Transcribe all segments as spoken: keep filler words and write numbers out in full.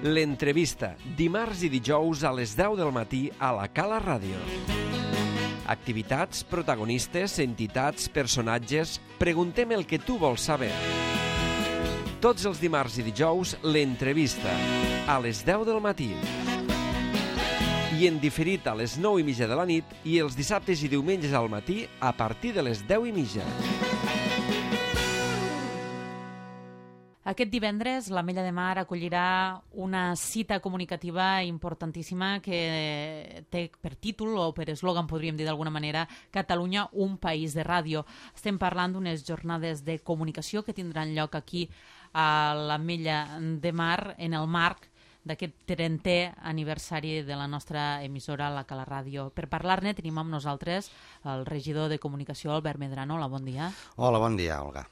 L'entrevista, dimarts i dijous a les deu del matí a la Cala Ràdio. Activitats, protagonistes, entitats, personatges... Preguntem el que tu vols saber. Tots els dimarts i dijous, l'entrevista, a les deu del matí. I en diferit a les nou i mitja de la nit i els dissabtes i diumenges al matí a partir de les deu i mitja. Aquest divendres l'Ametlla de Mar acollirà una cita comunicativa importantíssima que té per títol, o per eslògan podríem dir d'alguna manera, Catalunya, un país de ràdio. Estem parlant d'unes jornades de comunicació que tindran lloc aquí a l'Ametlla de Mar en el marc d'aquest trentè aniversari de la nostra emissora, la Cala Ràdio. Per parlar-ne tenim amb nosaltres el regidor de Comunicació, Albert Medrano. Hola, bon dia. Hola, bon dia, Olga.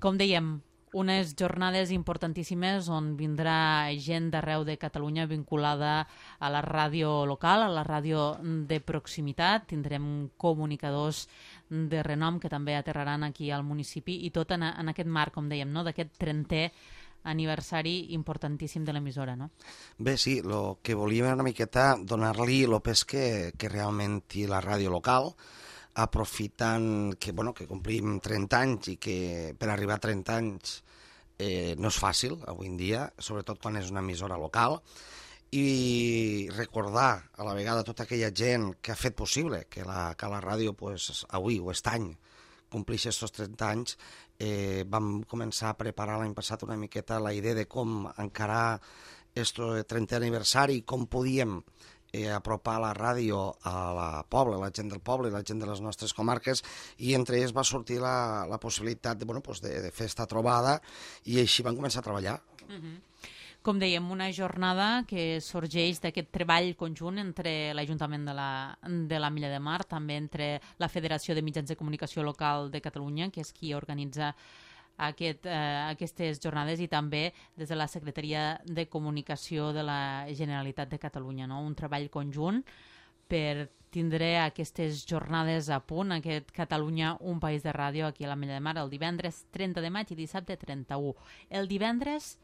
Com dèiem, unes jornades importantíssimes on vindrà gent d'arreu de Catalunya vinculada a la ràdio local, a la ràdio de proximitat. Tindrem comunicadors de renom que també aterraran aquí al municipi i tot en, en aquest marc, com dèiem, no? D'aquest trentè aniversari importantíssim de l'emissora, no? Bé, sí, el que volíem era una miqueta donar-li el pes que, que realment té la ràdio local, aprofitant que, bueno, que complim trenta anys i que per arribar a trenta anys eh, no és fàcil avui en dia, sobretot quan és una emissora local, i recordar a la vegada tota aquella gent que ha fet possible que la, que la ràdio pues, avui o aquest any complixi aquests trenta anys. Eh, vam començar a preparar l'any passat una miqueta la idea de com encarar aquest trentè aniversari, com podíem eh, apropar la ràdio a la poble, la gent del poble, la gent de les nostres comarques, i entre ells va sortir la, la possibilitat de, bueno, pues de, de fer esta trobada, i així vam començar a treballar. Uh-huh. Com dèiem, una jornada que sorgeix d'aquest treball conjunt entre l'Ajuntament de la, de la Milla de Mar, també entre la Federació de Mitjans de Comunicació Local de Catalunya, que és qui organitza aquest, eh, aquestes jornades, i també des de la Secretaria de Comunicació de la Generalitat de Catalunya, no? Un treball conjunt per tindre aquestes jornades a punt, aquest Catalunya, un país de ràdio aquí a la Milla de Mar, el divendres trenta de maig i dissabte trenta-u. El divendres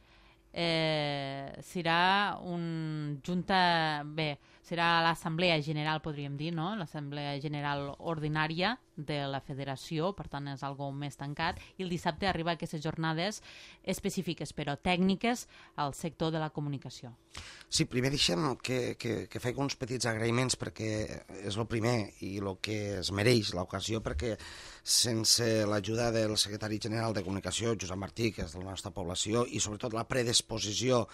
Eh, serà un junta, bé, serà l'assemblea general, podríem dir, no? L'assemblea general ordinària de la federació, per tant és algo més tancat, i el dissabte arriba a aquestes jornades específiques, però tècniques, al sector de la comunicació. Sí, primer deixem que, que, que faig uns petits agraïments, perquè és el primer i el que es mereix l'ocasió, perquè sense l'ajuda del secretari general de Comunicació, Josep Martí, que és de la nostra població, i sobretot la predisposició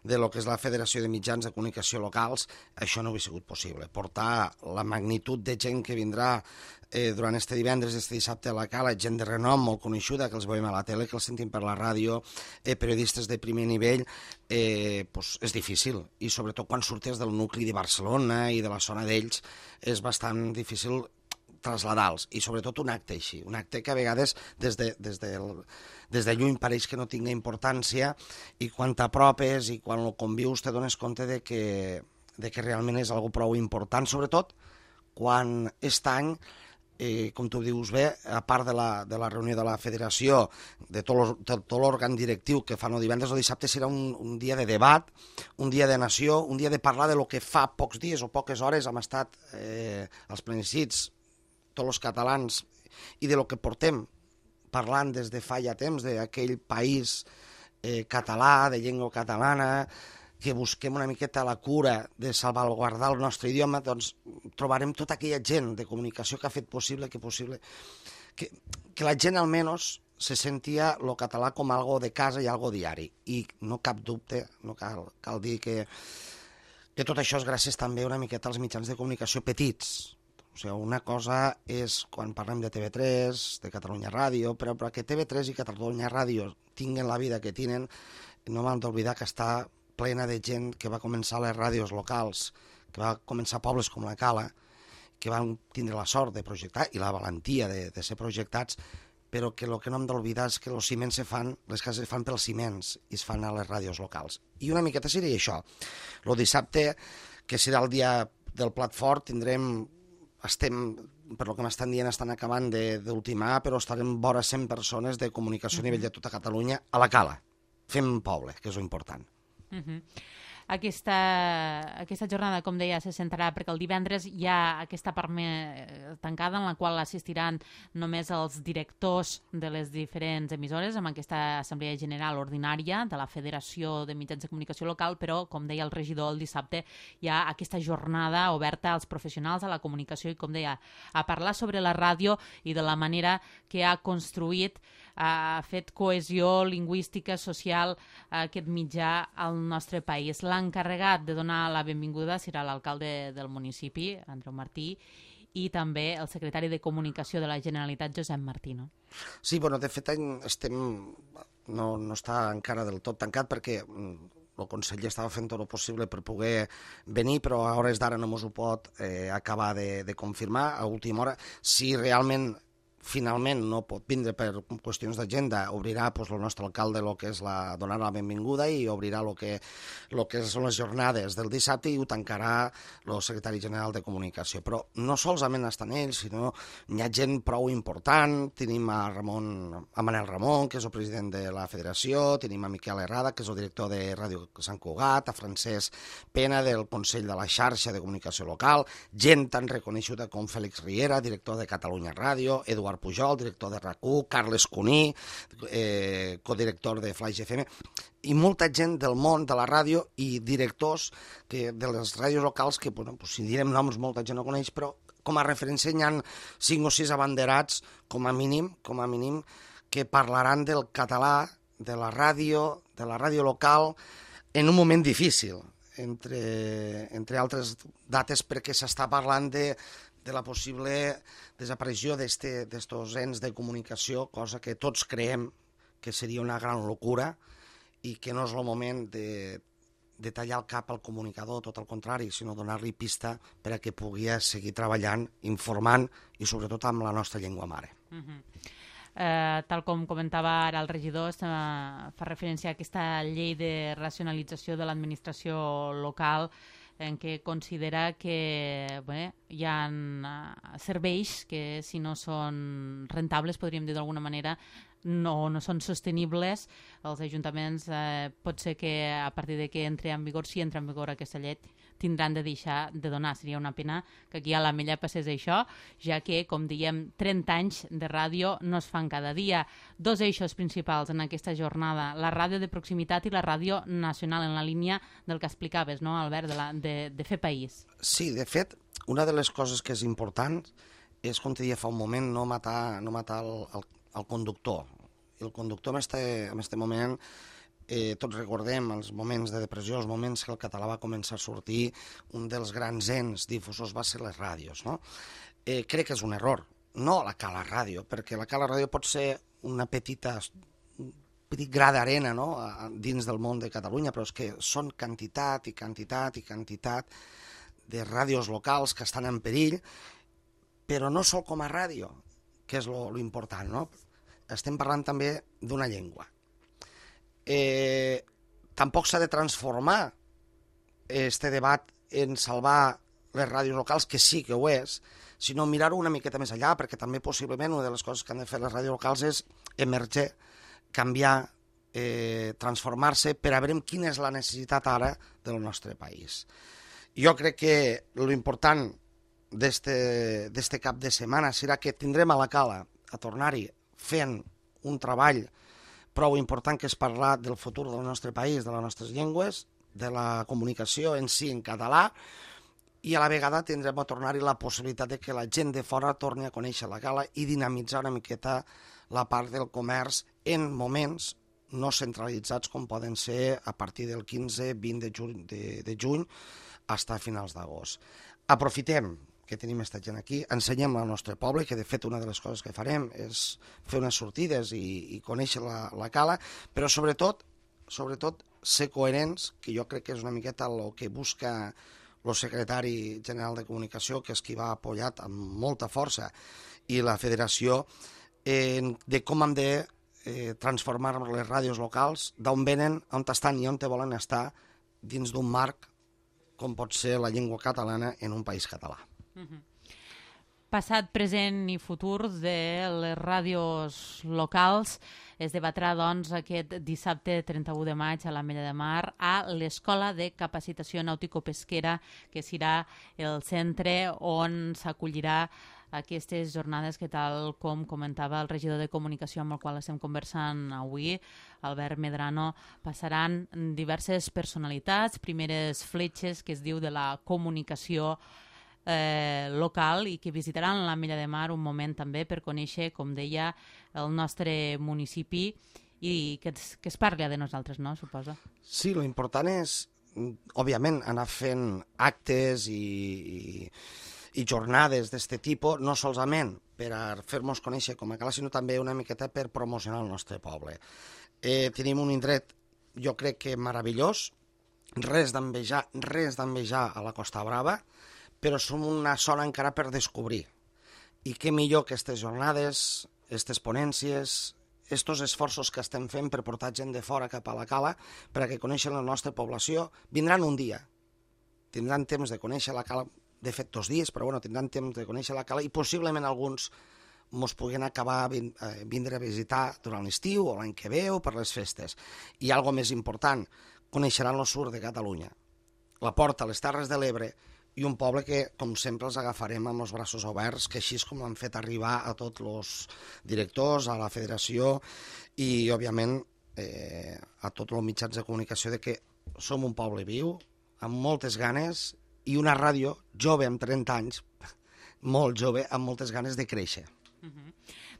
de lo que és la Federació de Mitjans de Comunicació Locals, això no hauria sigut possible. Portar la magnitud de gent que vindrà eh, durant este divendres, este dissabte a la Cala, gent de renom molt coneixuda, que els veiem a la tele, que els sentim per la ràdio, eh, periodistes de primer nivell, eh, pues és difícil. I sobretot quan surtes del nucli de Barcelona i de la zona d'ells, és bastant difícil traslladar-los, i sobretot un acte així, un acte que a vegades des de, des de, des de lluny pareix que no tinga importància, i quan t'apropes i quan ho convius te dones compte de que, de que realment és algo prou important, sobretot quan aquest any, eh, com tu dius bé, a part de la, de la reunió de la federació, de tot, tot l'òrgan directiu que fan el divendres, el dissabte serà un, un dia de debat, un dia de nació, un dia de parlar de lo que fa pocs dies o poques hores hem estat eh, als plebiscits tots els catalans, i de lo que portem parlant des de fa ja temps, d'aquell país eh, català, de llengua catalana, que busquem una miqueta la cura de salvaguardar el nostre idioma, doncs trobarem tota aquella gent de comunicació que ha fet possible que possible que, que la gent almenys se sentia el català com algo de casa i algo diari. I no cap dubte, no cal, cal dir que, que tot això és gràcies també una miqueta als mitjans de comunicació petits. O sigui, una cosa és quan parlem de T V tres, de Catalunya Ràdio, però perquè T V tres i Catalunya Ràdio tinguen la vida que tenen, no m'han d'oblidar que està plena de gent que va començar a les ràdios locals, que va començar a pobles com la Cala, que van tindre la sort de projectar i la valentia de, de ser projectats, però que el que no hem d'oblidar és que els ciments se fan, les cases se fan pels ciments i es fan a les ràdios locals. I una miqueta seria això. El dissabte, que serà el dia del plat fort, tindrem, estem, per lo que m'estan dient, estan acabant d'ultimar, però estarem vora cent persones de comunicació a nivell de tota Catalunya a la Cala. Fem poble, que és lo important. Uh-huh. Aquesta, aquesta jornada, com deia, se centrarà perquè el divendres hi ha aquesta part més tancada en la qual assistiran només els directors de les diferents emissores amb aquesta assemblea general ordinària de la Federació de Mitjans de Comunicació Local, però, com deia el regidor, el dissabte hi ha aquesta jornada oberta als professionals de la comunicació i, com deia, a parlar sobre la ràdio i de la manera que ha construït, ha fet cohesió lingüística, social, aquest mitjà al nostre país. L'encarregat de donar la benvinguda serà l'alcalde del municipi, Andreu Martí, i també el secretari de Comunicació de la Generalitat, Josep Martí. No? Sí, bueno, de fet estem, no, no està encara del tot tancat perquè el conseller estava fent tot el possible per poder venir, però a hores d'ara no mos ho pot eh, acabar de, de confirmar a última hora. Si realment finalment no pot vindre per qüestions d'agenda, obrirà pues, el nostre alcalde el que és la, donar la benvinguda i obrirà el que, lo que són les jornades del dissabte i ho tancarà el secretari general de Comunicació. Però no solament estan ells, sinó hi ha gent prou important. Tenim a, Ramon, a Manel Ramon, que és el president de la federació, tenim a Miquel Herrada, que és el director de Ràdio Sant Cugat, a Francesc Pena, del Consell de la Xarxa de Comunicació Local, gent tan reconeguda com Fèlix Riera, director de Catalunya Ràdio, Eduard Pujol, director de R A C U, Carles Cuní, eh, codirector de Flaix F M, i molta gent del món de la ràdio i directors que, de les ràdios locals que, bueno, pues, si direm noms, molta gent no coneix, però com a referència hi ha cinc o sis abanderats, com a mínim, com a mínim, que parlaran del català, de la ràdio, de la ràdio local, en un moment difícil, entre, entre altres dates, perquè s'està parlant de de la possible desaparició d'estos ens de comunicació, cosa que tots creiem que seria una gran locura i que no és el moment de, de tallar el cap al comunicador, tot el contrari, sinó donar-li pista per a que pugui seguir treballant, informant i sobretot amb la nostra llengua mare. Uh-huh. Eh, tal com comentava ara el regidor, eh, fa referència a aquesta llei de racionalització de l'administració local en què considera que bé, hi ha uh, serveis que si no són rentables, podríem dir d'alguna manera, no, no són sostenibles. Els ajuntaments eh, pot ser que a partir de que entri en vigor, si entra en vigor aquesta llei, tindran de deixar de donar. Seria una pena que aquí a l'Ametlla passés això, ja que, com diem, trenta anys de ràdio no es fan cada dia. Dos eixos principals en aquesta jornada, la ràdio de proximitat i la ràdio nacional, en la línia del que explicaves, no, Albert, de, la, de, de fer país. Sí, de fet, una de les coses que és important és, com te deia fa un moment, no matar, no matar el, el, el conductor. El conductor en este, en este moment... Eh, tots recordem els moments de depressió, els moments que el català va començar a sortir, un dels grans ens difusors va ser les ràdios. No? Eh, crec que és un error, no la cala ràdio, perquè la cala ràdio pot ser una petita, un petit gra d'arena, no? Dins del món de Catalunya, però és que són quantitat i quantitat i quantitat de ràdios locals que estan en perill, però no sol com a ràdio, que és lo, lo important. No? Estem parlant també d'una llengua. Eh, tampoc s'ha de transformar este debat en salvar les ràdios locals, que sí que ho és, sinó mirar-ho una miqueta més allà, perquè també possiblement una de les coses que han de fer les ràdios locals és emerger, canviar, eh, transformar-se per a veure quina és la necessitat ara del nostre país. Jo crec que l'important d'este cap de setmana serà que tindrem a la cala a tornar-hi fent un treball prou important, que és parlar del futur del nostre país, de les nostres llengües, de la comunicació en si en català, i a la vegada tindrem a tornar-hi la possibilitat de que la gent de fora torni a conèixer la cala i dinamitzar una miqueta la part del comerç en moments no centralitzats com poden ser a partir del quinze vint de juny, de, de juny fins a finals d'agost. Aprofitem que tenim aquesta gent aquí, ensenyem al nostre poble, que de fet una de les coses que farem és fer unes sortides i, i conèixer la, la cala, però sobretot, sobretot ser coherents, que jo crec que és una miqueta el que busca el secretari general de Comunicació, que és qui va apoyat amb molta força, i la federació, eh, de com hem de eh, transformar les ràdios locals, d'on venen, on estan i on te volen estar, dins d'un marc com pot ser la llengua catalana en un país català. Uh-huh. passat, present i futur de les ràdios locals. Es debatrà, doncs, aquest dissabte trenta-u de maig a l'Ametlla de Mar a l'Escola de Capacitació Nàutico-Pesquera, que serà el centre on s'acollirà aquestes jornades que, tal com comentava el regidor de Comunicació amb el qual estem conversant avui, Albert Medrano, passaran diverses personalitats, primeres fletxes que es diu de la comunicació eh, local i que visitaran l'Ametlla de Mar un moment també per conèixer, com deia, el nostre municipi i que es, que es parli de nosaltres, no? Suposo. Sí, lo important és, òbviament, anar fent actes i... i i jornades d'aquest tipus, no solament per a fer-nos conèixer com a cala, sinó també una miqueta per promocionar el nostre poble. Eh, tenim un indret, jo crec que meravellós, res d'envejar, res d'envejar a la Costa Brava, però som una zona encara per descobrir. I què millor que aquestes jornades, aquestes ponències, aquests esforços que estem fent per portar gent de fora cap a la cala perquè coneixen la nostra població, vindran un dia. Tindran temps de conèixer la cala, de fet dos dies, però bueno, tindran temps de conèixer la cala i possiblement alguns ens puguen acabar vin, eh, vindre a visitar durant l'estiu o l'any que ve o per les festes. I algo més important, coneixeran el sud de Catalunya, la porta a les Terres de l'Ebre i un poble que, com sempre, els agafarem amb els braços oberts, que així és com han fet arribar a tots els directors, a la federació i, òbviament, eh, a tots els mitjans de comunicació de que som un poble viu, amb moltes ganes i una ràdio jove amb trenta anys, molt jove, amb moltes ganes de créixer. Uh-huh.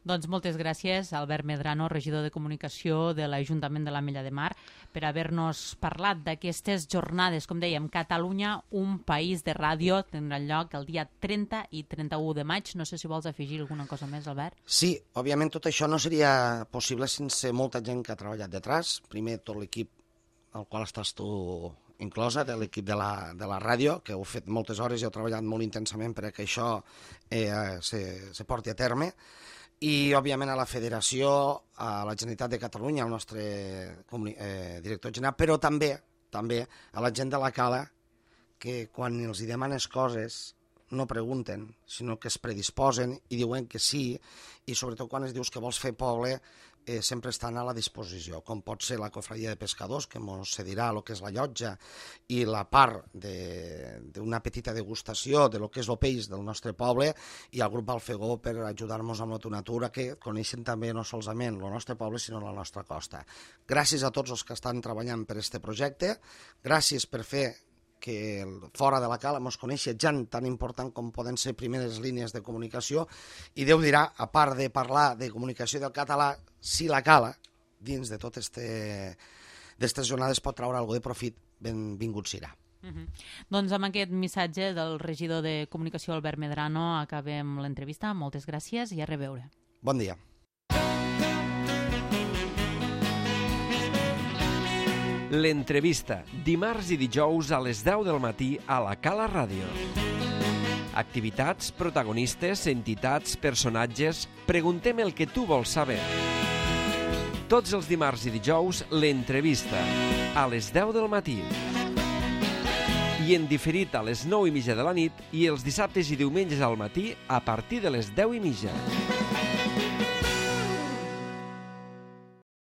Doncs moltes gràcies, Albert Medrano, regidor de Comunicació de l'Ajuntament de l'Ametlla de Mar, per haver-nos parlat d'aquestes jornades. Com dèiem, Catalunya, un país de ràdio, tindrà lloc el dia trenta i trenta-u de maig. No sé si vols afegir alguna cosa més, Albert. Sí, òbviament tot això no seria possible sense molta gent que ha treballat detrás. Primer, tot l'equip al qual estàs tu inclosa, de l'equip de, la, de la ràdio, que heu fet moltes hores i heu treballat molt intensament perquè això eh, se, se porti a terme, i, òbviament, a la Federació, a la Generalitat de Catalunya, al nostre eh, director general, però també també a la gent de la cala, que quan els hi demanes coses no pregunten, sinó que es predisposen i diuen que sí, i sobretot quan es dius que vols fer poble, eh, sempre estan a la disposició, com pot ser la cofradia de pescadors, que ens cedirà el que és la llotja i la part d'una petita degustació de lo que és el peix del nostre poble, i el grup Alfegó per ajudar-nos amb la natura, que coneixen també no solament el nostre poble, sinó la nostra costa. Gràcies a tots els que estan treballant per aquest projecte, gràcies per fer que fora de la cala ens coneixi gent tan important com poden ser primeres línies de comunicació, i Déu dirà, a part de parlar de comunicació del català, si la cala, dins de totes aquestes jornades, pot treure alguna de profit, benvingut serà. Uh-huh. Doncs amb aquest missatge del regidor de Comunicació, Albert Medrano, acabem l'entrevista. Moltes gràcies i a reveure. Bon dia. L'entrevista, dimarts i dijous a les deu del matí a la Cala Ràdio. Activitats, protagonistes, entitats, personatges... Preguntem el que tu vols saber. Tots els dimarts i dijous, l'entrevista, a les deu del matí. I en diferit a les nou i mitja de la nit i els dissabtes i diumenges al matí a partir de les deu i mitja.